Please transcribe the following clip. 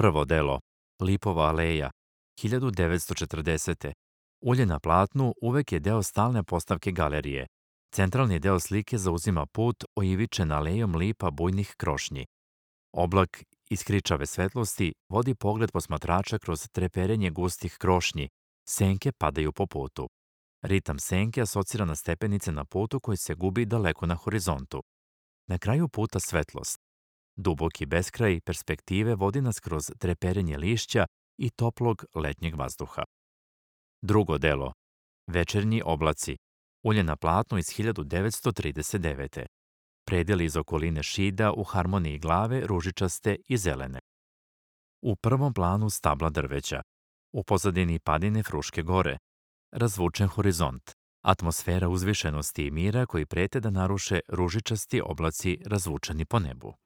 Prvo delo, Lipova aleja, 1940. Ulje na platnu uvek je deo stalne postavke galerije. Centralni deo slike zauzima put oivičen alejom lipa bujnih krošnji. Oblak iskričave svetlosti vodi pogled posmatrača kroz treperenje gustih krošnji. Senke padaju po putu. Ritam senke asocira na stepenice na putu koji se gubi daleko na horizontu. Na kraju puta svetlost. Duboki beskraj perspektive vodi nas kroz treperenje lišća i toplog letnjeg vazduha. Drugo delo, Večernji oblaci, ulje na platnu iz 1939. Predeli iz okoline šida u harmoniji glave ružičaste i zelene. U prvom planu stabla drveća, u pozadini padine Fruške gore, razvučen horizont, atmosfera uzvišenosti i mira koji prete da naruše ružičasti oblaci razvučeni po nebu.